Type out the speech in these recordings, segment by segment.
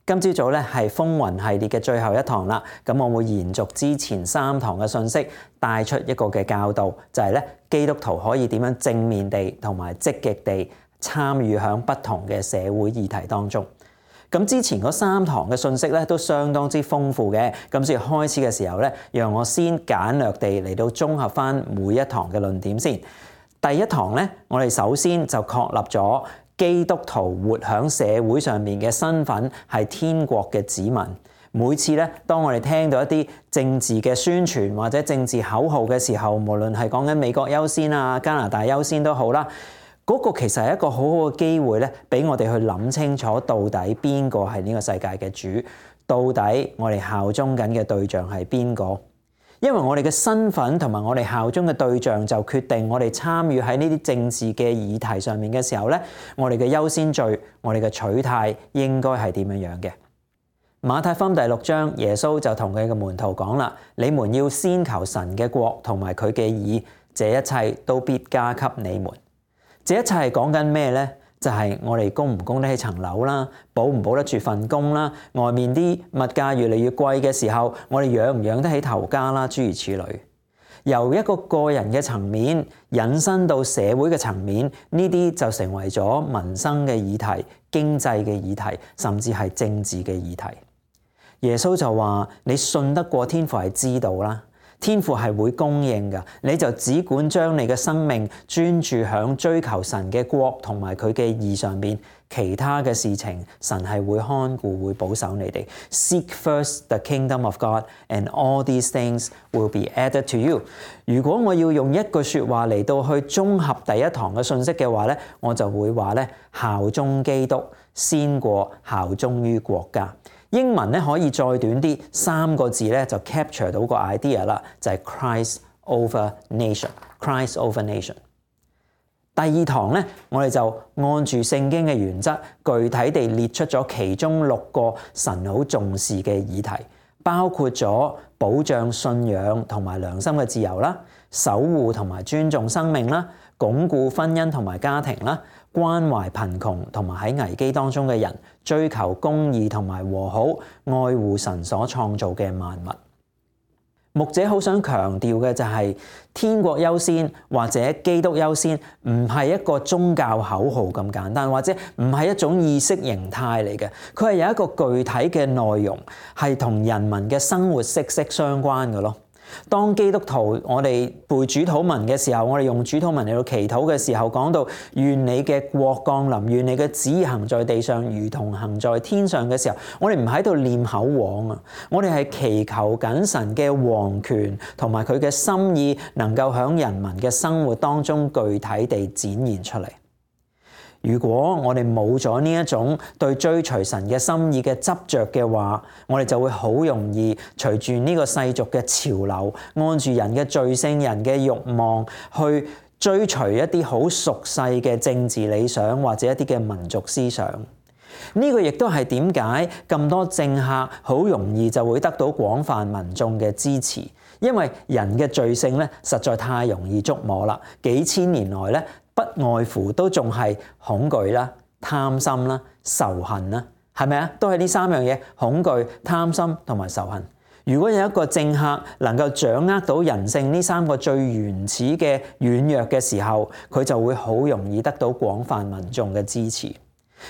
今朝早咧係風雲系列嘅最後一堂啦，咁我會延續之前3堂嘅信息，帶出一個嘅教導，就係咧基督徒可以點樣正面地同埋積極地參與響不同嘅社會議題當中。咁之前嗰3堂嘅信息咧都相當之豐富嘅，咁所以開始嘅時候咧，讓我先簡略地嚟到綜合返每一堂嘅論點先。第一堂咧，我哋首先就確立咗基督徒活喺社會上面嘅身份係天國嘅子民。每次咧，當我哋聽到一啲政治嘅宣傳或者政治口號嘅時候，無論係講緊美國優先啊、加拿大優先都好啦，嗰個其實係一個好好嘅機會咧，俾我哋去諗清楚到底邊個係呢個世界嘅主，到底我哋效忠緊嘅對象係邊個？因為我哋嘅身份同埋我哋效忠嘅對象就決定我哋參與喺呢啲政治嘅議題上面嘅時候咧，我哋嘅優先序、我哋嘅取態應該係點樣嘅？馬太福音第6章，耶穌就同佢嘅門徒講啦：你們要先求神嘅國同埋佢嘅義，這一切都必加給你們。這一切係講緊咩咧？就係我哋供唔供得起層樓啦，保唔保得住份工啦，外面啲物價越嚟越貴嘅時候，我哋養唔養得起頭家啦，諸如此類。由一個個人嘅層面引申到社會嘅層面，呢啲就成為咗民生嘅議題、經濟嘅議題，甚至係政治嘅議題。耶穌就話：你信得過天父係知道啦。天父係會供應㗎，你就只管將你嘅生命專注響追求神嘅國同埋佢嘅義上邊，其他嘅事情神係會看顧、會保守你哋。Seek first the kingdom of God, and all these things will be added to you。如果我要用一句説話嚟到去綜合第一堂嘅信息嘅話咧，我就會話咧：效忠基督先過效忠於國家。英文咧可以再短啲，3個字咧就 capture 到個 idea 啦，就係 Christ over nation。Christ over nation。第2堂咧，我哋就按住聖經嘅原則，具體地列出咗其中6個神好重視嘅議題，包括咗保障信仰同埋良心嘅自由啦，守護同埋尊重生命啦，鞏固婚姻同埋家庭啦，關懷貧窮同埋喺危機當中嘅人，追求公義同埋和好，愛護神所創造嘅萬物。牧者好想強調嘅就係天國優先或者基督優先，唔係一個宗教口號咁簡單，或者唔係一種意識形態嚟嘅。佢係有一個具體嘅內容，係同人民嘅生活息息相關嘅咯。當基督徒我哋背主禱文嘅時候，我哋用主禱文嚟到祈禱嘅時候，講到願你嘅國降臨，願你嘅旨意行在地上如同行在天上嘅時候，我哋唔喺度念口簧啊，我哋係祈求緊神嘅王權同埋佢嘅心意能夠喺人民嘅生活當中具體地展現出嚟。如果我哋冇咗呢一種對追隨神嘅心意嘅執着嘅話，我哋就會好容易隨住呢個世俗嘅潮流，按住人嘅罪性、人嘅慾望去追隨一啲好俗世嘅政治理想或者一啲嘅民族思想。呢個亦都係點解咁多政客好容易就會得到廣泛民眾嘅支持，因為人嘅罪性咧實在太容易捉摸啦。幾千年來咧，不外乎都仲係恐懼啦、貪心啦、仇恨啦，係咪啊？都係呢3樣嘢：恐懼、貪心同埋仇恨。如果有一個政客能夠掌握到人性呢3個最原始嘅軟弱嘅時候，佢就會好容易得到廣泛民眾嘅支持。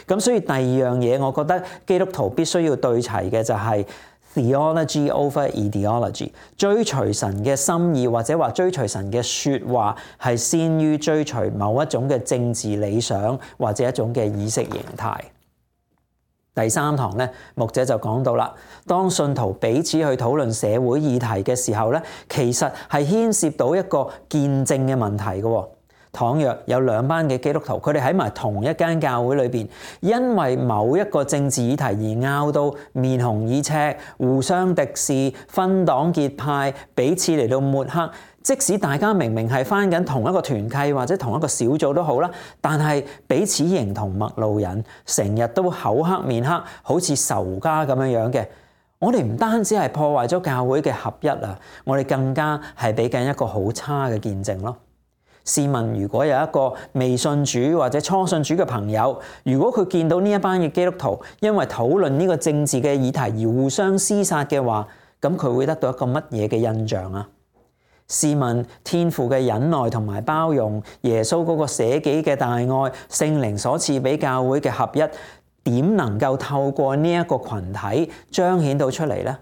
咁所以第2樣嘢，我覺得基督徒必須要對齊嘅就係Theology over ideology， 追隨神嘅心意或者話追隨神嘅說話係先於追隨某一種嘅政治理想或者一種嘅意識形態。第3堂咧，牧者就講到啦，當信徒彼此去討論社會議題嘅時候咧，其實係牽涉到一個見證嘅問題嘅。倘若有2班嘅基督徒，佢哋喺埋同一間教會裏邊，因為某一個政治議題而拗到面紅耳赤、互相敵視、分黨結派、彼此嚟到抹黑，即使大家明明係返緊同一個團契或者同一個小組都好啦，但係彼此形同陌路人，成日都口黑面黑，好似仇家咁樣嘅。我哋唔單止係破壞咗教會嘅合一啊，我哋更加係俾緊一個好差嘅見證咯。試問，如果有一個未信主或者初信主嘅朋友，如果佢見到呢一班嘅基督徒因為討論呢個政治嘅議題而互相廝殺嘅話，咁佢會得到一個乜嘢嘅印象啊？試問，天父嘅忍耐同埋包容，耶穌嗰個捨己嘅大愛，聖靈所賜俾教會嘅合一，點能夠透過呢一個群體彰顯到出嚟呢？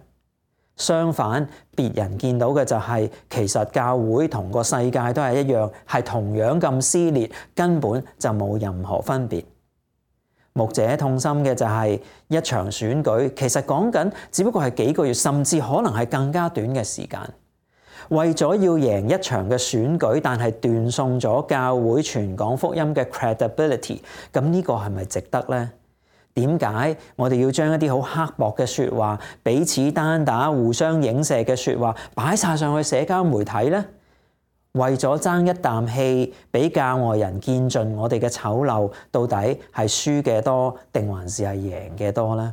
相反，別人見到嘅就係，其實教會同個世界都係一樣，係同樣咁撕裂，根本就冇任何分別。牧者痛心嘅就係一場選舉，其實講緊只不過係幾個月，甚至可能係更加短嘅時間，為咗要贏一場嘅選舉，但係斷送咗教會傳講福音嘅 credibility， 咁呢個係咪值得呢？點解我哋要將一啲好刻薄嘅說話、彼此單打、互相影射嘅說話擺晒上去社交媒體呢？為咗爭一啖氣，俾教外人見盡我哋嘅醜陋，到底係輸嘅多定還是係贏嘅多呢？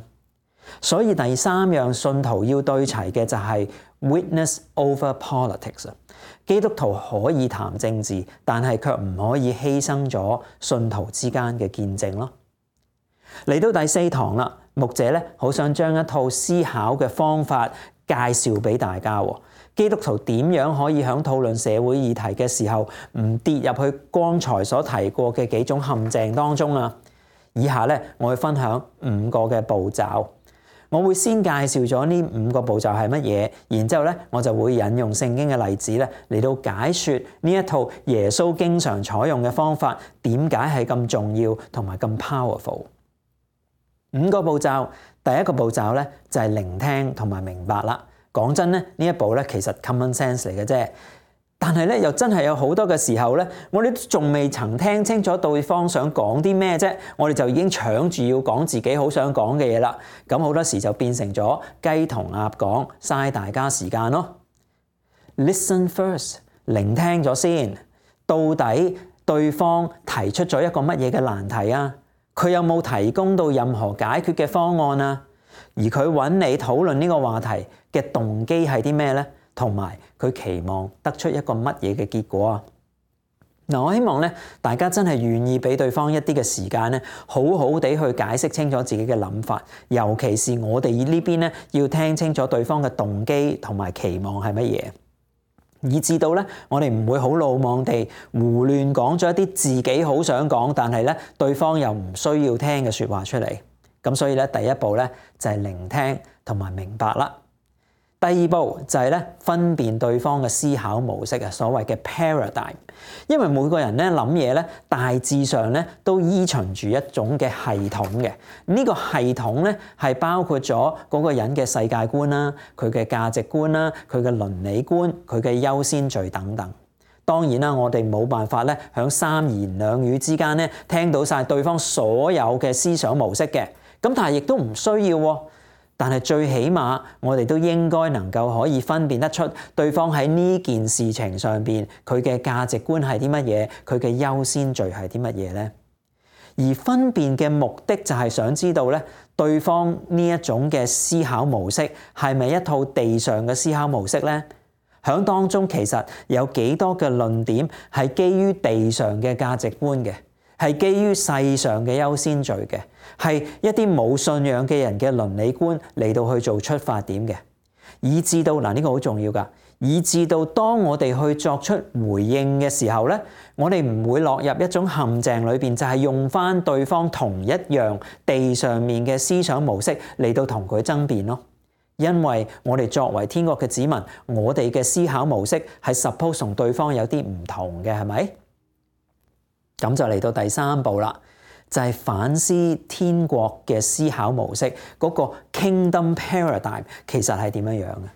所以第三樣信徒要對齊嘅就係 witness over politics。基督徒可以談政治，但係卻唔可以犧牲咗信徒之間嘅見證咯。嚟到第四堂啦，牧者咧好想將一套思考嘅方法介紹俾大家。基督徒點樣可以喺討論社會議題嘅時候唔跌入去剛才所提過嘅幾種陷阱當中啊？以下咧我會分享5個嘅步驟。我會先介紹咗呢5個步驟係乜嘢，然之後咧我就會引用聖經嘅例子咧嚟到解說呢一套耶穌經常採用嘅方法點解係咁重要同埋咁 powerful。5個步驟，第一個步驟咧就係聆聽同埋明白啦。講真咧，呢一步咧其實 common sense 嚟嘅啫，但係咧又真係有好多嘅時候咧，我哋都仲未曾聽清楚對方想講啲咩啫，我哋就已經搶住要講自己好想講嘅嘢啦。咁好多時就變成咗雞同鴨講，嘥大家時間咯。Listen first， 聆聽咗先，到底對方提出咗一個乜嘢嘅難題啊？佢有冇提供到任何解決嘅方案啊？而佢揾你討論呢個話題嘅動機係啲咩呢？同埋佢期望得出一個乜嘢嘅結果啊？嗱，我希望咧大家真係願意俾對方一啲嘅時間咧，好好地去解釋清楚自己嘅諗法，尤其是我哋呢邊咧要聽清楚對方嘅動機同埋期望係乜嘢。以至到咧，我哋唔會好魯莽地胡亂講咗一啲自己好想講，但係咧對方又唔需要聽嘅說話出嚟。咁所以咧，第一步咧就係聆聽同埋明白啦。第二步就係咧分辨對方嘅思考模式啊，所謂嘅 paradigm。因為每個人咧諗嘢咧，大致上咧都依循住一種嘅系統嘅。呢個系統咧係包括咗嗰個人嘅世界觀啦、佢嘅價值觀啦、佢嘅倫理觀、佢嘅優先序等等。當然啦，我哋冇辦法咧響三言兩語之間咧聽到晒對方所有嘅思想模式嘅。咁但係亦都唔需要喎。但係最起碼，我哋都應該能夠可以分辨得出對方喺呢件事情上邊佢嘅價值觀係啲乜嘢，佢嘅優先序係啲乜嘢呢？而分辨嘅目的就係想知道咧，對方呢一種嘅思考模式係咪一套地上嘅思考模式呢？響當中其實有幾多嘅論點係基於地上嘅價值觀嘅，係基於世上嘅優先序嘅，係一啲冇信仰嘅人嘅倫理觀嚟到去做出發點嘅，以至到呢個好重要㗎，以至到當我哋去作出回應嘅時候咧，我哋唔會落入一種陷阱裏邊，就係用翻對方同一樣地上面嘅思想模式嚟到同佢爭辯咯。因為我哋作為天國嘅子民，我哋嘅思考模式係 suppose 同對方有啲唔同嘅，係咪？咁就嚟到第三步啦，就係反思天國嘅思考模式，嗰個 Kingdom Paradigm 其實係點樣樣嘅？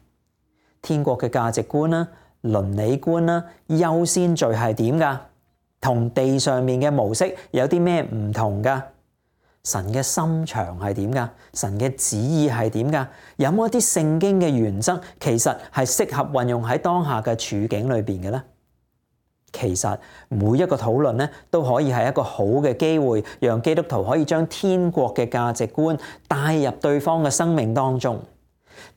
天國嘅價值觀啦、倫理觀啦、優先序係點㗎？同地上面嘅模式有啲咩唔同㗎？神嘅心腸係點㗎？神嘅旨意係點㗎？有冇一啲聖經嘅原則其實係適合運用喺當下嘅處境裏邊嘅咧？其實每一個討論咧都可以係一個好嘅機會，讓基督徒可以將天國嘅價值觀帶入對方嘅生命當中。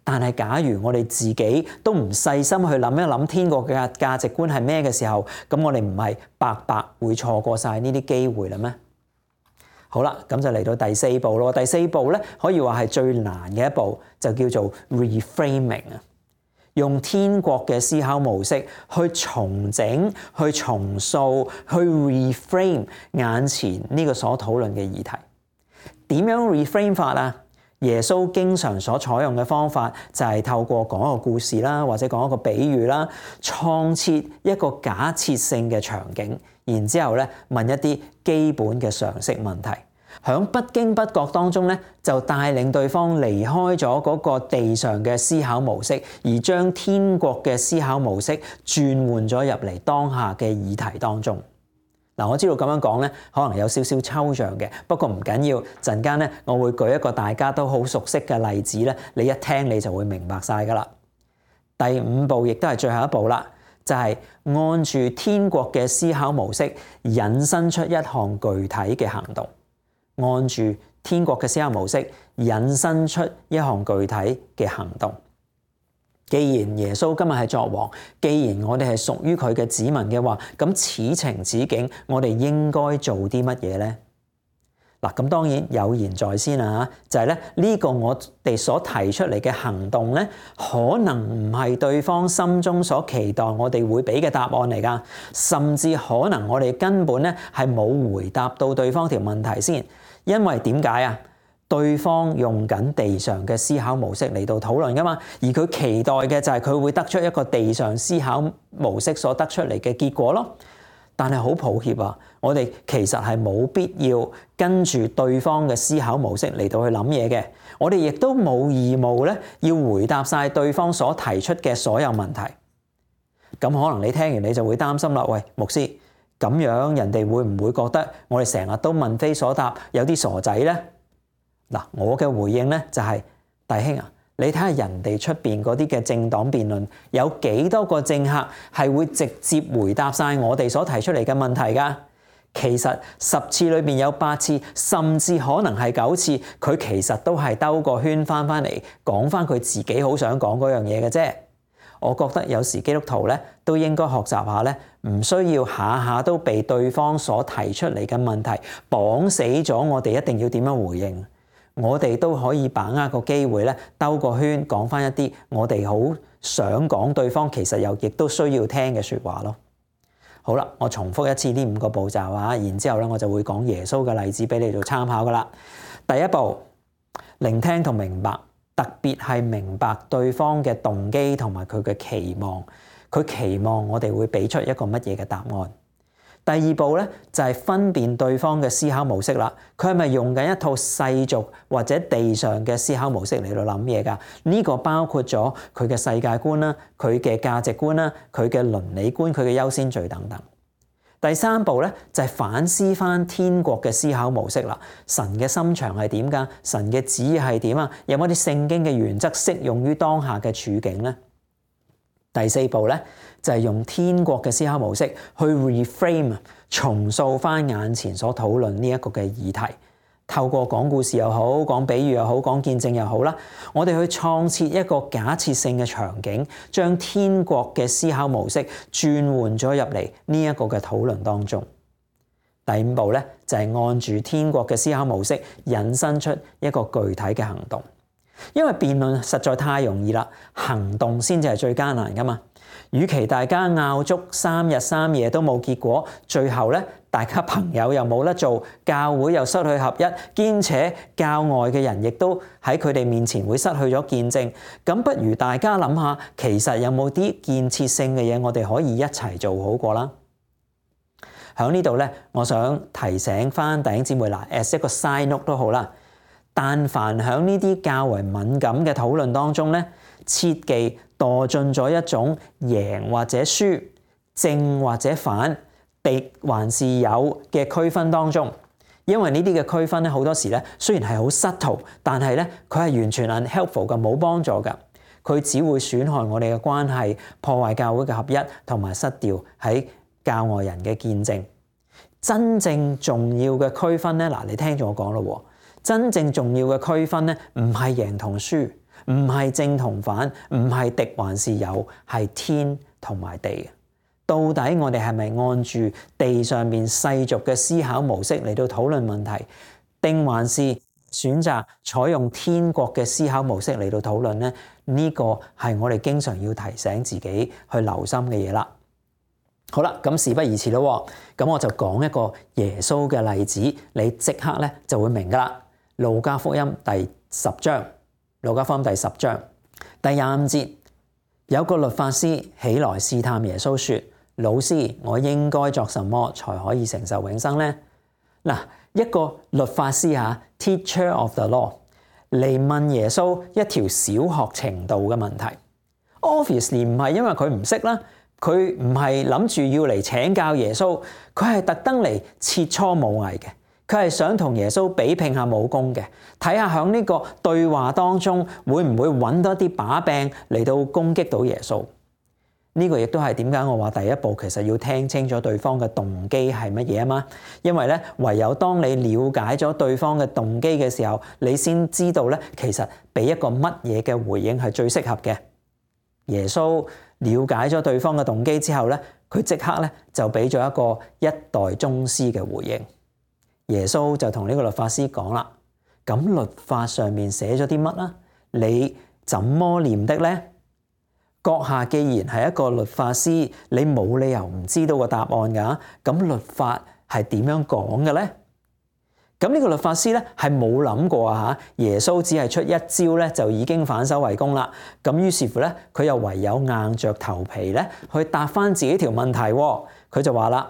但係假如我哋自己都唔細心去諗一諗天國嘅價值觀係咩嘅時候，咁我哋唔係白白會錯過晒呢啲機會啦咩？好啦，咁就嚟到第四步咯。第四步咧可以話係最難嘅一步，就叫做 reframing 啊。用天國嘅思考模式去重整、去重塑、去 reframe 眼前呢個所討論嘅議題。點樣 reframe 法啊？耶穌經常所採用嘅方法就係透過講一個故事啦，或者講一個比喻啦，創設一個假設性嘅場景，然之後咧問一啲基本嘅常識問題，響不經不覺當中咧就帶領對方離開咗嗰個地上嘅思考模式，而將天國嘅思考模式轉換咗入嚟當下嘅議題當中。嗱，我知道咁樣講咧，可能有少少抽象嘅，不過唔緊要。陣間咧，我會舉一個大家都好熟悉嘅例子咧，你一聽你就會明白晒噶啦。第五步亦都係最後一步啦，就係按住天國嘅思考模式，引申出一項具體嘅行動。按住天國嘅思考模式，引申出一項具體嘅行動。既然耶穌今日係作王，既然我哋係屬於佢嘅子民嘅話，咁此情此景，我哋應該做啲乜嘢呢？嗱，咁當然有言在先啦，就係咧呢個我哋所提出嚟嘅行動咧，可能唔係對方心中所期待我哋會俾嘅答案嚟噶，甚至可能我哋根本咧係冇回答到對方條問題先，因為點解啊？對方用緊地上嘅思考模式嚟到討論噶嘛，而佢期待嘅就係佢會得出一個地上思考模式所得出嚟嘅結果咯。但係好抱歉啊，我哋其實係冇必要跟住對方嘅思考模式嚟到去諗嘢嘅。我哋亦都冇義務咧要回答晒對方所提出嘅所有問題。咁可能你聽完你就會擔心啦，喂，牧師，咁樣人哋會唔會覺得我哋成日都問非所答，有啲傻仔呢？嗱，我嘅回應咧就係，弟兄啊，你睇下人哋出邊嗰啲嘅政黨辯論，有幾多個政客係會直接回答晒我哋所提出嚟嘅問題㗎？其實10次裏邊有8次，甚至可能係9次，佢其實都係兜個圈翻嚟講翻佢自己好想講嗰樣嘢嘅啫。我覺得有時基督徒咧都應該學習下咧，唔需要下下都被對方所提出嚟嘅問題綁死咗，我哋一定要點樣回應？我哋都可以把握個機會咧，兜個圈講翻一啲我哋好想講對方其實又亦都需要聽嘅説話咯。好啦，我重複一次呢5個步驟啊，然之後咧我就會講耶穌嘅例子俾你做參考噶啦。第一步，聆聽同明白，特別係明白對方嘅動機同埋佢嘅期望，佢期望我哋會俾出一個乜嘢嘅答案。第二步咧就係分辨對方嘅思考模式啦，佢係咪用緊一套世俗或者地上嘅思考模式嚟到諗嘢㗎？呢個包括咗佢嘅世界觀啦、佢嘅價值觀啦、佢嘅倫理觀、佢嘅優先序等等。第三步咧就係反思翻天國嘅思考模式啦，神嘅心腸係點㗎？神嘅旨意係點啊？有冇啲聖經嘅原則適用於當下嘅處境咧？第四步咧就係用天國嘅思考模式去 reframe 重塑翻眼前所討論呢一個嘅議題，透過講故事又好，講比喻又好，講見證又好啦，我哋去創設一個假設性嘅場景，將天國嘅思考模式轉換咗入嚟呢一個嘅討論當中。第5步咧就係按住天國嘅思考模式引申出一個具體嘅行動。因為辯論實在太容易啦，行動先至係最艱難噶嘛。與其大家拗足3日3夜都冇結果，最後咧大家朋友又冇得做，教會又失去合一，兼且教外嘅人亦都喺佢哋面前會失去咗見證，咁不如大家諗下，其實有冇啲建設性嘅嘢我哋可以一齊做好過啦。喺呢度咧，我想提醒翻弟兄姊妹啦，as 一個 side note 都好啦。但凡喺呢啲較為敏感嘅討論當中咧，切忌墮進咗一種贏或者輸、正或者反、敵還是友嘅區分當中。因為呢啲嘅區分咧，好多時咧雖然係好 subtle，但係咧佢係完全 unhelpful 嘅，冇幫助㗎。佢只會損害我哋嘅關係，破壞教會嘅合一，同埋失掉喺教外人嘅見證。真正重要嘅區分咧，嗱，你聽住我講咯喎。真正重要嘅區分咧，唔係贏同輸，唔係正同反，唔係敵還是友，係天同埋地。到底我哋係咪按住地上面世俗嘅思考模式嚟到討論問題，定還是選擇採用天國嘅思考模式嚟到討論呢？呢個係我哋經常要提醒自己去留心嘅嘢啦。好啦，咁事不宜遲咯，咁我就講一個耶穌嘅例子，你即刻咧就會明噶啦。路加福音第10章，路加福音第10章第25節，有個律法師起來試探耶穌說：老師，我應該作什麼才可以承受永生呢？嗱，一個律法師Teacher of the law 嚟問耶穌一條小學程度嘅問題。Obviously 唔係因為佢唔識啦，佢唔係諗住要嚟請教耶穌，佢係特登嚟切磋武藝嘅。佢係想同耶穌比拼下武功嘅，睇下響呢個對話當中會唔會揾到一啲把柄嚟到攻擊到耶穌。呢個亦都係點解我話第一步其實要聽清楚對方嘅動機係乜嘢啊嘛。因為咧，唯有當你了解咗對方嘅動機嘅時候，你先知道咧，其實俾一個乜嘢嘅回應係最適合嘅。耶穌了解咗對方嘅動機之後咧，佢即刻咧就俾咗一個一代宗師嘅回應。耶穌就同呢個律法師講啦：咁律法上面寫咗啲乜啦？你怎麼念的呢？閣下既然係一個律法師，你冇理由唔知道個答案㗎。咁律法係點樣講嘅呢？咁呢個律法師咧係冇諗過耶穌只係出一招咧就已經反手為攻啦。咁於是乎咧，佢又唯有硬着頭皮咧去答翻自己條問題。佢就話啦：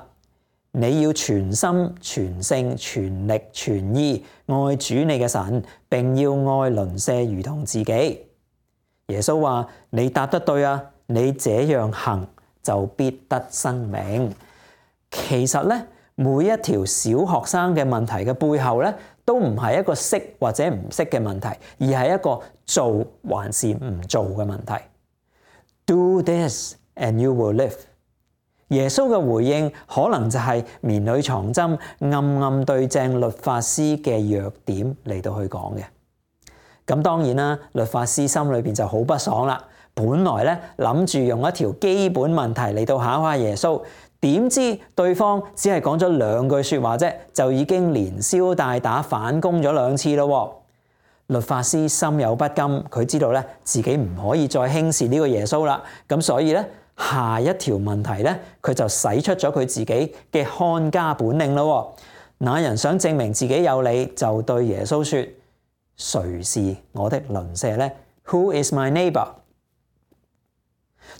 你要全心、全性、全力、全意愛主你嘅神，並要愛鄰舍如同自己。耶穌話：你答得對啊！你這樣行就必得生命。其實咧，每一條小學生嘅問題嘅背後咧，都唔係一個識或者唔識嘅問題，而係一個做還是唔做嘅問題。Do this and you will live。耶穌嘅回應可能就係綿裏藏針，暗暗對正律法師嘅弱點嚟到去講嘅。咁當然啦，律法師心裏邊就好不爽啦。本來咧諗住用一條基本問題嚟到考下耶穌，點知對方只係講咗2句說話啫，就已經連消帶打反攻咗2次咯。律法師心有不甘，佢知道咧自己唔可以再輕視呢個耶穌啦。咁所以咧，下一條問題咧，佢就使出咗佢自己嘅看家本領咯。那人想證明自己有理，就對耶穌說：誰是我的鄰舍呢？ Who is my neighbor？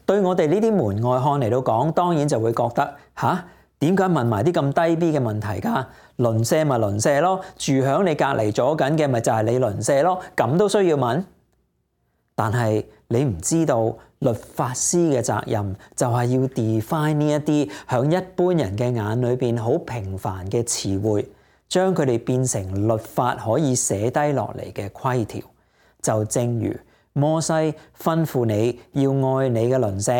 對我哋呢啲門外漢嚟到講，當然就會覺得點解問埋啲咁低 B 嘅問題㗎？鄰舍咪鄰舍咯，住響你隔離左緊嘅咪就係你鄰舍咯，咁都需要問？但係你唔知道律法師嘅責任就係要 define 呢一啲響一般人嘅眼裏邊好平凡嘅詞彙，將佢哋變成律法可以寫低落嚟嘅規條。就正如摩西吩咐你要愛你嘅鄰舍，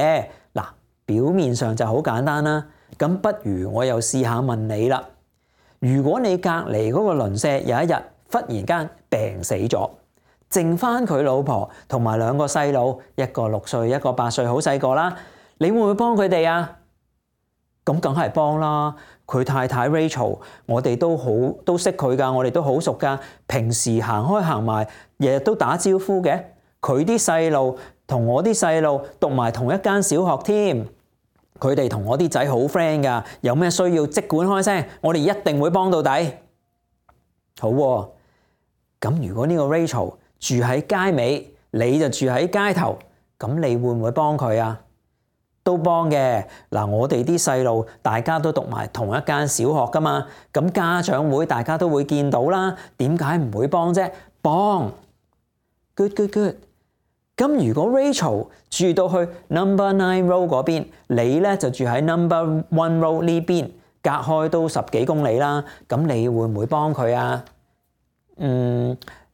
嗱，表面上就好簡單啦。咁不如我又試下問你啦，如果你隔離嗰個鄰舍有一日忽然間病死咗，剩翻佢老婆同埋2個細路，一個6歲，一個8歲，好細個啦，你會唔會幫佢哋啊？咁梗係幫啦。佢太太 Rachel， 我哋都識佢噶，我哋都好熟噶，平時行開行埋，日日都打招呼嘅。佢啲細路同我啲細路讀埋同一間小學添，佢哋同我啲仔好 friend 噶，有咩需要即管開聲，我哋一定會幫到底。好喎，咁如果呢個 Rachel 住喺街尾，你就住喺街頭，咁你會唔會幫佢啊？都幫嘅。嗱，我哋啲細路大家都讀埋同一間小學噶嘛，咁家長會大家都會見到啦，點解唔會幫啫？幫。 Good。咁如果 Rachel 住到去 number 9 row 嗰邊，你咧就住喺 number 1 row 呢邊，隔開都10幾公里啦，咁你會唔會幫佢啊？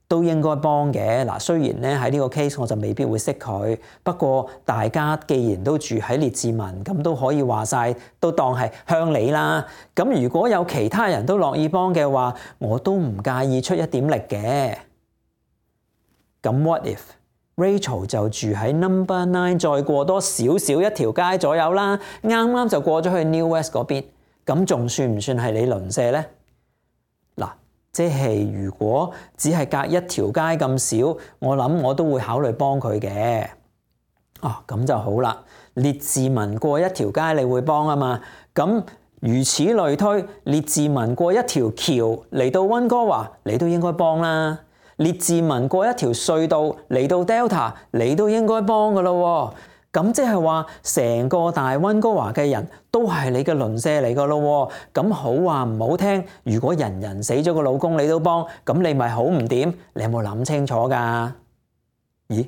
都應該幫嘅。嗱，雖然咧喺呢個 case 我就未必會識佢，不過大家既然都住喺列治文，咁都可以話晒都當係鄉里啦。咁如果有其他人都樂意幫嘅話，我都唔介意出一點力嘅。咁 what if Rachel 就住喺 Number 9，再過多少少一條街左右啦，啱啱就過咗去 New West 嗰邊，咁仲算唔算係你鄰舍呢？嗱，即係如果只係隔一條街咁少，我諗我都會考慮幫佢嘅。咁就好啦。列治文過一條街你會幫啊嘛，咁如此類推，列治文過一條橋嚟到溫哥華，你都應該幫啦。列治文過一條隧道嚟到 Delta， 你都應該幫噶咯。咁即係話成個大溫哥華嘅人都係你嘅鄰舍嚟噶咯。咁好話唔好聽，如果人人死咗個老公你都幫，咁你咪好唔掂？你有冇諗清楚噶？咦，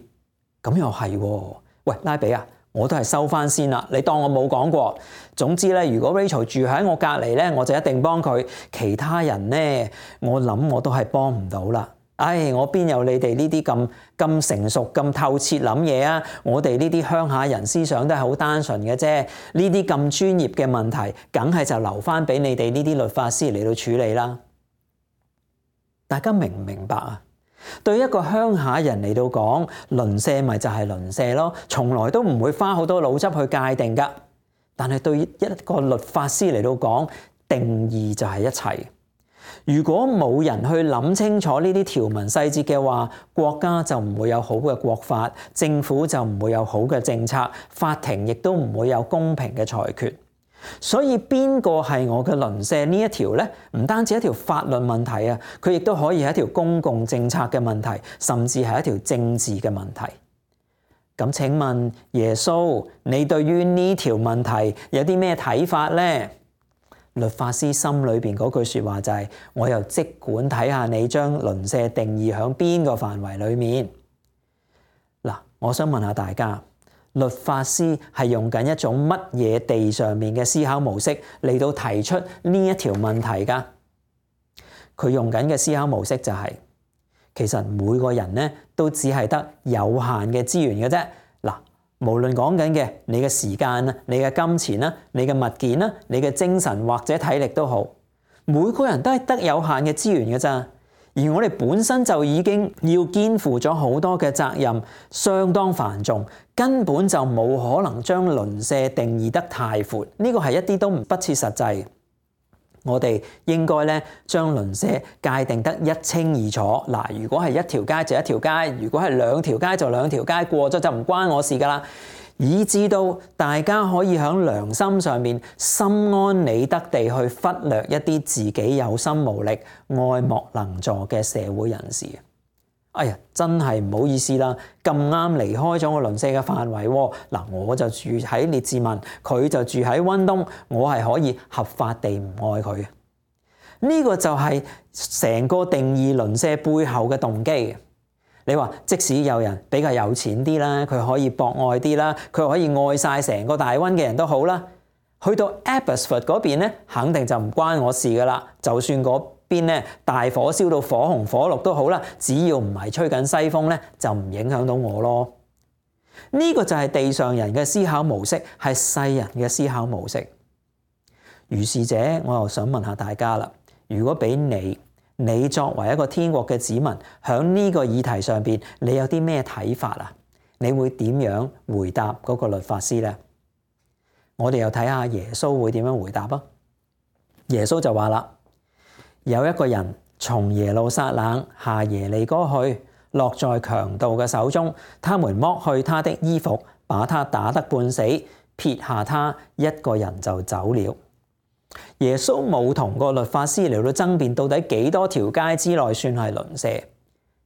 咁又係喎。喂，拉比啊，我都係收翻先啦，你當我冇講過。總之咧，如果 Rachel 住喺我隔離咧，我就一定幫佢。其他人咧，我諗我都係幫唔到啦。我邊有你哋呢啲咁成熟、咁透徹諗嘢啊？我哋呢啲鄉下人思想都係好單純嘅啫。呢啲咁專業嘅問題，梗係就留翻俾你哋呢啲律法師嚟到處理啦。大家明唔明白啊？對一個鄉下人嚟到講，鄰舍咪就係鄰舍咯，從來都唔會花好多腦汁去界定噶。但係對一個律法師嚟到講，定義就係一切。如果冇人去諗清楚呢啲條文細節嘅話，國家就唔會有好嘅國法，政府就唔會有好嘅政策，法庭亦都唔會有公平嘅裁決。所以邊個係我嘅鄰舍呢一條呢？唔單止一條法律問題啊，佢亦都可以係一條公共政策嘅問題，甚至係一條政治嘅問題。咁請問耶穌，你對於呢條問題有啲咩睇法呢？律法師心裏邊嗰句說話就係：我又即管睇下你將鄰舍定義喺邊個範圍裏面。嗱，我想問下大家，律法師係用緊一種乜嘢地上面嘅思考模式嚟到提出呢一條問題㗎？佢用緊嘅思考模式就係，其實每個人咧都只係得有限嘅資源嘅啫。嗱，無論講緊嘅你嘅時間啊、你嘅金錢啦、你嘅物件啦、你嘅精神或者體力都好，每個人都係得有限嘅資源嘅咋。而我哋本身就已經要肩負咗好多嘅責任，相當繁重，根本就冇可能將鄰舍定義得太闊。呢個係一啲都不切實際。我哋應該咧將鄰舍界定得一清二楚。嗱，如果係一條街就一條街，如果係兩條街就兩條街，過咗就唔關我事噶啦。以至到大家可以喺良心上面心安理得地去忽略一啲自己有心無力、愛莫能助嘅社會人士。真係唔好意思啦，咁啱離開咗我鄰舍嘅範圍喎。嗱，我就住喺列治文，佢就住喺溫東，我係可以合法地唔愛佢。呢個就係成個定義鄰舍背後嘅動機。你話即使有人比較有錢啲啦，佢可以博愛啲啦，佢可以愛晒成個大溫嘅人都好啦。去到 Abbotsford 嗰邊咧，肯定就唔關我事噶啦。就算嗰邊咧大火燒到火紅火綠都好啦，只要唔係吹緊西風咧，就唔影響到我咯。呢個就係地上人嘅思考模式，係世人嘅思考模式。如是者，我又想問下大家啦，如果俾你作為一個天國嘅子民，喺呢個議題上邊，你有啲咩睇法啊？你會點樣回答嗰個律法師呢？我哋又睇下耶穌會點樣回答啊？耶穌就話啦：有一個人從耶路撒冷下耶利哥去，落在強盜嘅手中，他們剝去他的衣服，把他打得半死，撇下他一個人就走了。耶穌冇同個律法師嚟到爭辯到底幾多條街之內算係鄰舍。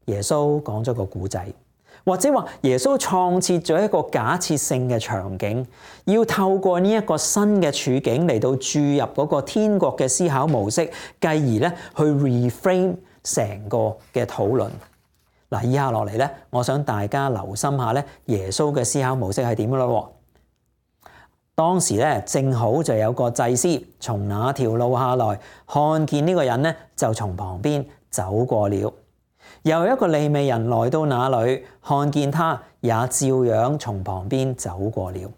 耶穌講咗個故仔，或者話耶穌創設咗一個假設性嘅場景，要透過呢一個新嘅處境嚟到注入嗰個天國嘅思考模式，繼而咧去 reframe 成個嘅討論。嗱，以下落嚟咧，我想大家留心下咧，耶穌嘅思考模式係點嘅咯。當時咧，正好就有個祭司從那條路下來，看見呢個人咧，就從旁邊走過了。又有一個利未人來到那裡，看見他，也照樣從旁邊走過了。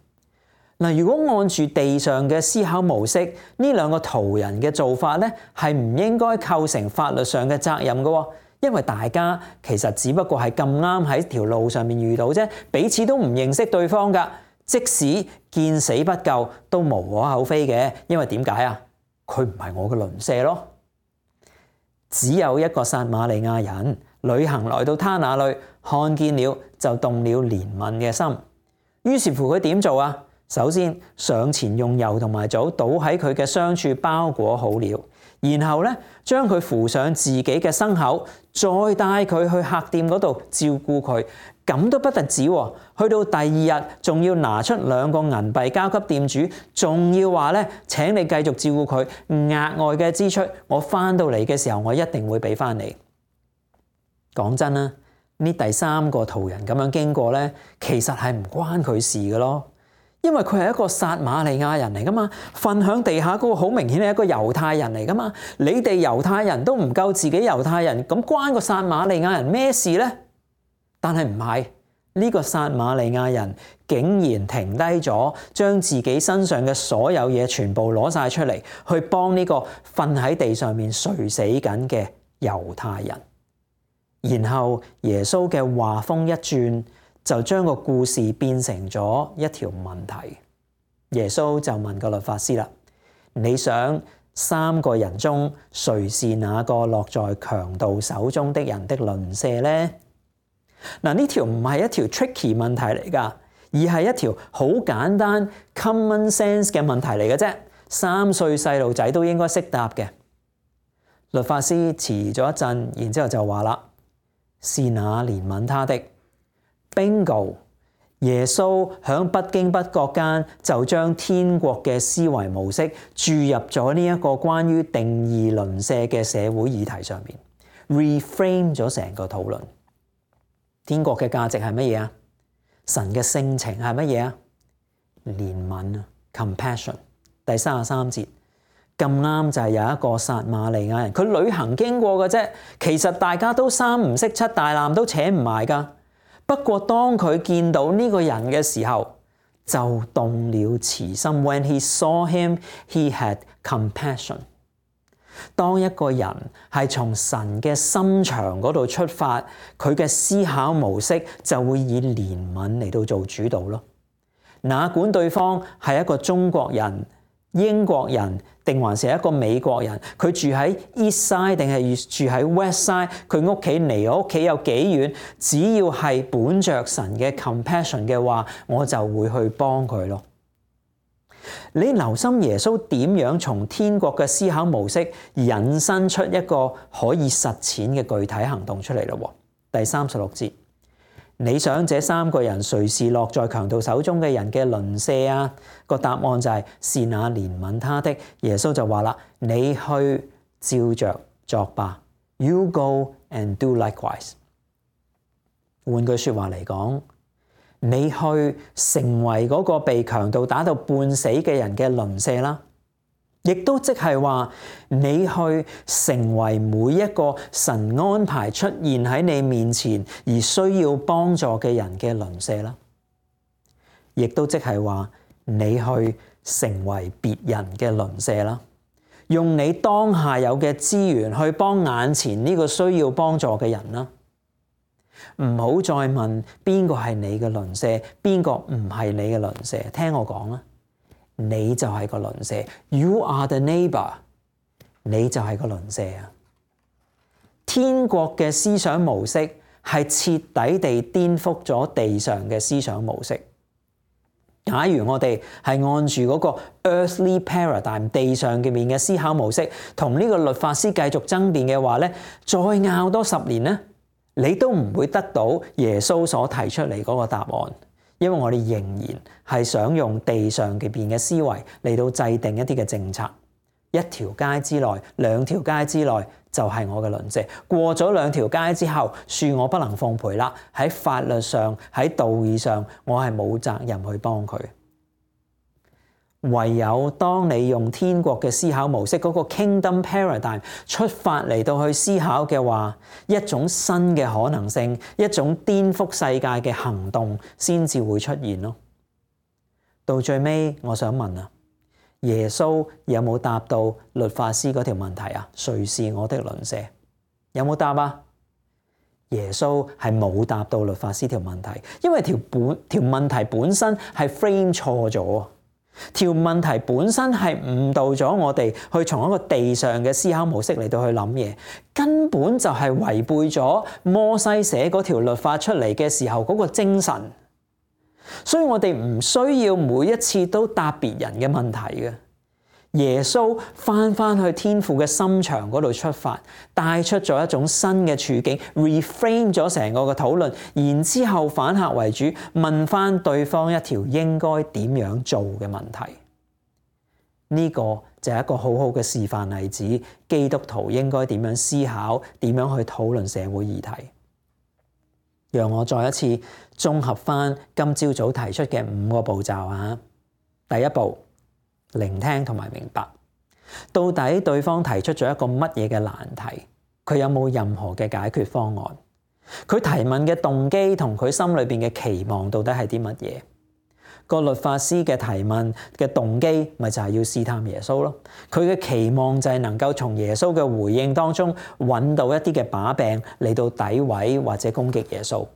嗱，如果按住地上嘅思考模式，呢兩個途人嘅做法咧，係唔應該構成法律上嘅責任嘅，因為大家其實只不過係咁啱喺條路上面遇到啫，彼此都唔認識對方㗎。即使見死不救，都無可厚非嘅。因為點解啊？佢唔係我嘅鄰舍咯。只有一個撒瑪利亞人旅行來到他那裡，看見了就動了憐憫嘅心。於是乎佢點做啊？首先上前用油同埋酒倒喺佢嘅傷處，包裹好了，然後咧將佢扶上自己嘅牲口，再帶佢去客店嗰度照顧佢。咁都不特止喎，去到第二日仲要拿出2個銀幣交給店主，仲要話咧請你繼續照顧佢，額外嘅支出我翻到嚟嘅時候我一定會俾翻你。講真啦，呢第3個途人咁樣經過咧，其實係唔關佢事嘅咯。因為佢係一個撒瑪利亞人嚟噶嘛，瞓響地下嗰個好明顯係一個猶太人嚟噶嘛。你哋猶太人都唔夠自己猶太人，咁關個撒瑪利亞人咩事呢？但係唔係，呢個撒瑪利亞人竟然停低咗，將自己身上嘅所有嘢全部攞晒出嚟，去幫呢個瞓喺地上面垂死緊嘅猶太人。然後耶穌嘅話鋒一轉，就將個故事變成咗一條問題。耶穌就問個律法師啦：你想3個人中誰是那個落在強盜手中的人的鄰舍呢？嗱，呢條唔係一條 tricky 問題嚟㗎，而係一條好簡單 common sense 嘅問題嚟嘅啫。3歲細路仔都應該識答嘅。律法師遲咗一陣，然之後就話啦：是那憐憫他的。Bingo！ 耶穌響不經不覺間就將天國嘅思維模式注入咗呢一個關於定義鄰舍嘅社會議題上面 ，reframe 咗成個討論。天國嘅價值係乜嘢啊？神嘅性情係乜嘢啊？憐憫啊 ，compassion。第33節咁啱就係有一個撒瑪利亞人，佢旅行經過嘅啫。其實大家都3唔識7，大纜都扯唔埋㗎。不過當佢見到呢個人嘅時候，就動了慈心。When he saw him, he had compassion。當一個人係從神嘅心腸嗰度出發，佢嘅思考模式就會以憐憫嚟到做主導咯。哪管對方係一個中國人、英國人，定還是一個美國人，佢住喺 East Side 定係住喺 West Side， 佢屋企離我屋企有幾遠，只要係本着神嘅 compassion 嘅話，我就會去幫佢咯。你留心耶穌點樣從天國嘅思考模式引申出一個可以實踐嘅具體行動出嚟咯。第36節，你想這3個人誰是落在強盜手中嘅人嘅鄰舍啊？個答案就係是那憐憫他的。耶穌就話啦：你去照着作吧。You go and do likewise。換句說話嚟講，你去成為嗰個被強盜打到半死嘅人嘅鄰舍啦，亦都即係話你去成為每一個神安排出現喺你面前而需要幫助嘅人嘅鄰舍啦，亦都即係話你去成為別人嘅鄰舍啦，用你當下有嘅資源去幫眼前呢個需要幫助嘅人啦。唔好再問邊個係你嘅鄰舍，邊個唔係你嘅鄰舍。聽我講啦，你就係個鄰舍。You are the neighbor。你就係個鄰舍啊！天國嘅思想模式係徹底地顛覆咗地上嘅思想模式。假如我哋係按住嗰個 earthly paradigm 地上嘅面嘅思考模式，同呢個律法師繼續爭辯嘅話咧，再拗多10年咧，你都唔會得到耶穌所提出嚟嗰個答案，因為我哋仍然係想用地上嘅邊嘅思維嚟到制定一啲嘅政策。一條街之內、2條街之內就係我嘅鄰舍。過咗2條街之後，恕我不能奉陪啦。喺法律上、喺道義上，我係冇責任去幫佢。唯有當你用天國嘅思考模式嗰個 Kingdom Paradigm 出發嚟到去思考嘅話，一種新嘅可能性，一種顛覆世界嘅行動先至會出現咯。到最尾，我想問啊，耶穌有冇答到律法師嗰條問題啊？誰是我的鄰舍？有冇答啊？耶穌係冇答到律法師條問題，因為條問題本身係 frame 錯咗，條問題本身係誤導咗我哋去從一個地上嘅思考模式嚟到去諗嘢，根本就係違背咗摩西寫嗰條律法出嚟嘅時候嗰個精神。所以我哋唔需要每一次都答別人嘅問題嘅。耶穌翻去天父嘅心腸嗰度出發，帶出咗一種新嘅處境 ，reframe 咗成個嘅討論，然之後反客為主，問翻對方一條應該點樣做嘅問題。呢個就係一個好好嘅示範例子，基督徒應該點樣思考，點樣去討論社會議題。讓我再一次綜合翻今朝早提出嘅5個步驟啊！第一步，聆聽同埋明白，到底對方提出咗一個乜嘢嘅難題，佢有冇任何嘅解決方案？佢提問嘅動機同佢心裏邊嘅期望到底係啲乜嘢？個律法師嘅提問嘅動機咪就係要試探耶穌咯，佢嘅期望就係能夠從耶穌嘅回應當中揾到一啲嘅把柄嚟到詆毀或者攻擊耶穌。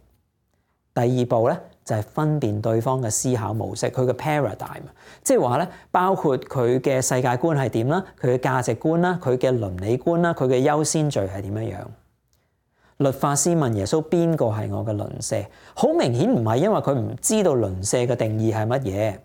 第二步咧就係分辨對方嘅思考模式，佢嘅 paradigm， 即係話咧包括佢嘅世界觀係點啦，佢嘅價值觀啦，佢嘅倫理觀啦，佢嘅優先序係點樣樣。律法師問耶穌邊個係我嘅鄰舍，好明顯唔係因為佢唔知道鄰舍嘅定義係乜嘢。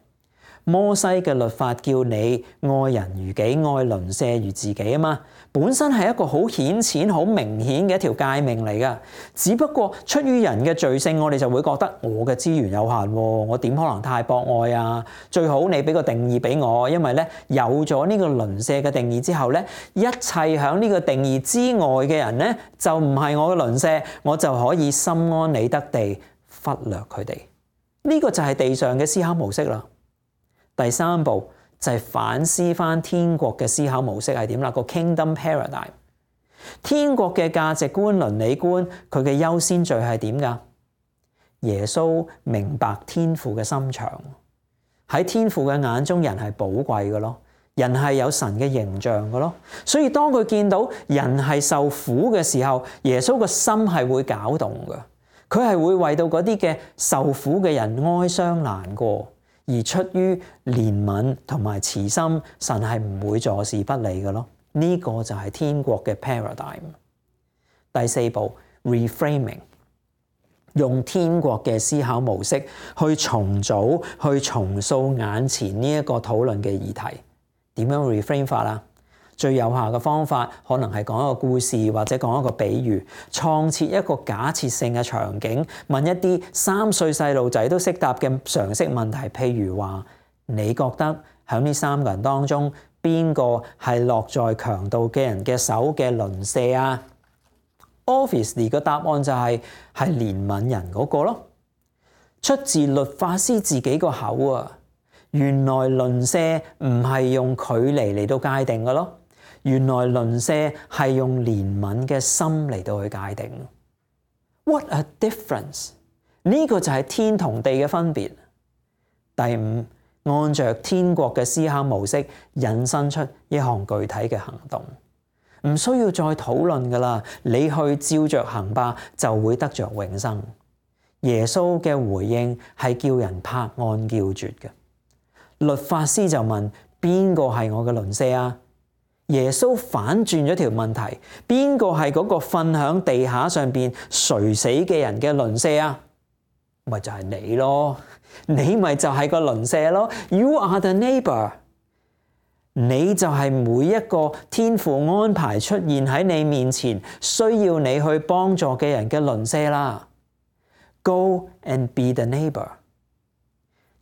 摩西嘅律法叫你愛人如己，愛鄰舍如自己啊嘛，本身係一個好顯淺、好明顯嘅一條誡命嚟噶。只不過出於人嘅罪性，我哋就會覺得我嘅資源有限，我點可能太博愛啊？最好你俾個定義俾我，因為咧有咗呢個鄰舍嘅定義之後咧，一切響呢個定義之外嘅人咧就唔係我嘅鄰舍，我就可以心安理得地忽略佢哋。呢個就係地上嘅思考模式啦。第三步就係反思翻天國嘅思考模式係點啦，個 Kingdom Paradigm， 天國嘅價值觀、倫理觀，佢嘅優先序係點噶？耶穌明白天父嘅心腸，喺天父嘅眼中，人係寶貴嘅咯，人係有神嘅形象嘅咯，所以當佢見到人係受苦嘅時候，耶穌個心係會攪動嘅，佢係會為到嗰啲嘅受苦嘅人哀傷難過。而出於憐憫同埋慈心，神係唔會坐視不理嘅咯。呢個就係天國嘅 paradigm。第四步 reframing， 用天國嘅思考模式去重組、去重塑眼前呢一個討論嘅議題。點樣 reframe 法啊？最有效嘅方法可能係講一個故事或者講一個比喻，創設一個假設性嘅場景，問一啲3歲細路仔都識答嘅常識問題，譬如話你覺得喺呢3個人當中邊個係落在強盜嘅人嘅手嘅鄰舍啊？ Obviously 個答案就係憐憫人嗰個咯，出自律法師自己個口啊！原來鄰舍唔係用距離嚟到界定嘅咯。原來鄰舍係用憐憫嘅心嚟到去界定。What a difference！ 呢個就係天同地嘅分別。第5，按着天國嘅思考模式，引申出一項具體嘅行動，唔需要再討論噶啦。你去照着行吧，就會得着永生。耶穌嘅回應係叫人拍案叫絕嘅。律法師就問：邊個係我嘅鄰舍啊？耶穌反轉咗條問題，邊個係嗰個瞓響地下上邊垂死嘅人嘅鄰舍啊？咪就係你咯，你咪就係個鄰舍咯。You are the neighbor， 你就係每一個天父安排出現喺你面前，需要你去幫助嘅人嘅鄰舍啦。Go and be the neighbor。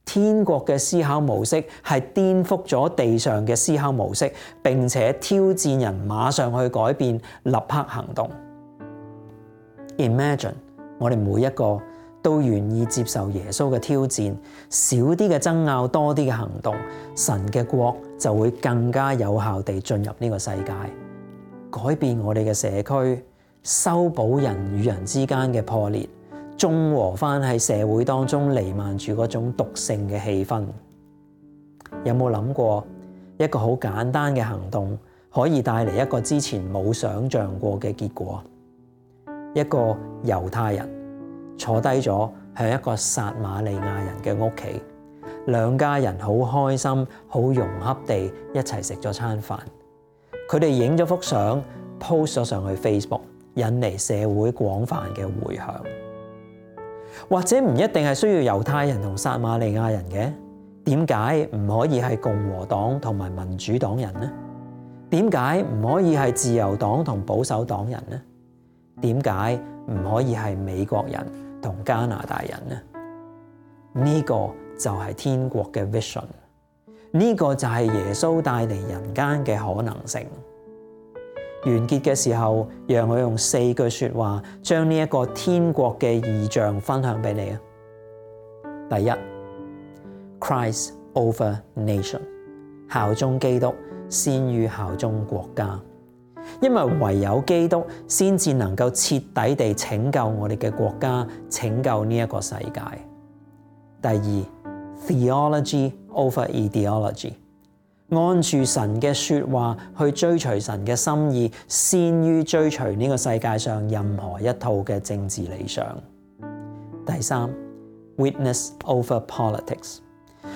天國嘅思考模式係顛覆咗地上嘅思考模式，並且挑戰人馬上去改變，立刻行動。Imagine 我哋每一個都願意接受耶穌嘅挑戰，少啲嘅爭拗，多啲嘅行動，神嘅國就會更加有效地進入呢個世界，改變我哋嘅社區，修補人與人之間嘅破裂，中和翻喺社會當中彌漫住嗰種毒性嘅氣氛。有冇諗過一個好簡單嘅行動可以帶嚟一個之前冇想象過嘅結果？一個猶太人坐低咗喺一個撒瑪利亞人嘅屋企，兩家人好開心、好融洽地一齊食咗餐飯。佢哋影咗幅相 post 咗上去 Facebook， 引嚟社會廣泛嘅迴響。或者唔一定係需要猶太人同撒瑪利亞人嘅，點解唔可以係共和黨同埋民主黨人呢？點解唔可以係自由黨同保守黨人呢？點解唔可以係美國人同加拿大人呢？呢個就係天國嘅 vision， 呢個就係耶穌帶嚟人間嘅可能性。完結嘅時候，讓我用4句說話將呢一個天國嘅異象分享俾你啊！第一， Christ over nation， 效忠基督先於效忠國家，因為唯有基督先至能夠徹底地拯救我哋嘅國家，拯救呢一個世界。第二， theology over ideology， 按住神嘅說話去追隨神嘅心意，先於追隨呢個世界上任何一套嘅政治理想。第三， witness over politics，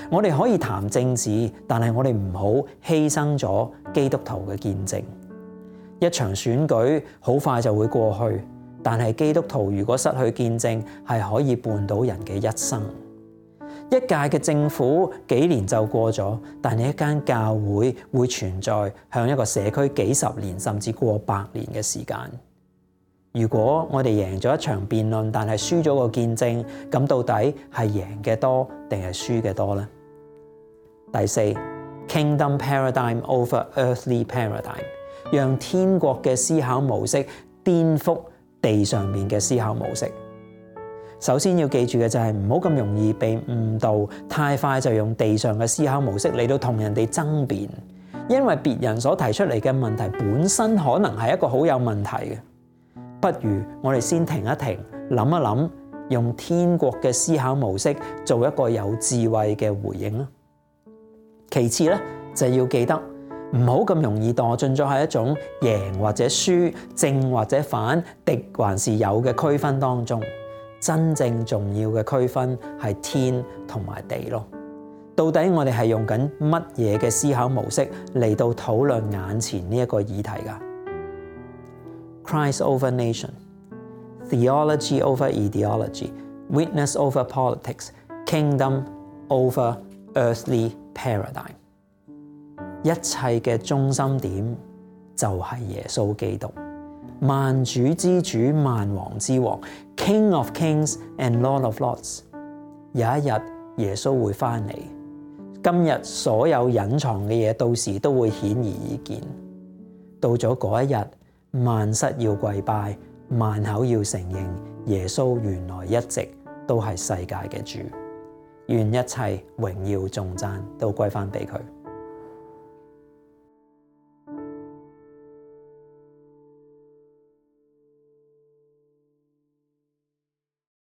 我哋可以談政治，但係我哋唔好犧牲咗基督徒嘅見證。一場選舉好快就會過去，但係基督徒如果失去見證，係可以絆倒人嘅一生。一屆嘅政府幾年就過咗，但係一間教會會存在向一個社區幾十年甚至過百年嘅時間。如果我哋贏咗一場辯論，但係輸咗個見證，咁到底係贏嘅多定係輸嘅多呢？第四， Kingdom paradigm over earthly paradigm， 讓天國嘅思考模式顛覆地上面嘅思考模式。首先要記住嘅就係唔好咁容易被誤導，太快就用地上嘅思考模式嚟到同人哋爭辯，因為別人所提出嚟嘅問題本身可能係一個好有問題嘅。不如我哋先停一停，諗一諗，用天國嘅思考模式做一個有智慧嘅回應啦。其次咧，就要記得唔好咁容易墮進咗喺一種贏或者輸、正或者反、敵還是友嘅區分當中。真正重要嘅區分係天同埋地咯。到底我哋係用緊乜嘢嘅思考模式嚟到討論眼前呢一個議題㗎？Christ over nation, theology over ideology, witness over politics, kingdom over earthly paradigm。一切嘅中心點就係耶穌基督，萬主之主、萬王之王 ，King of Kings and Lord of Lords。有一日耶穌會翻嚟，今日所有隱藏嘅嘢，到時都會顯而易見。到咗嗰一日，萬膝要跪拜，萬口要承認耶穌原來一直都係世界嘅主。願一切榮耀頌讚都歸翻俾佢。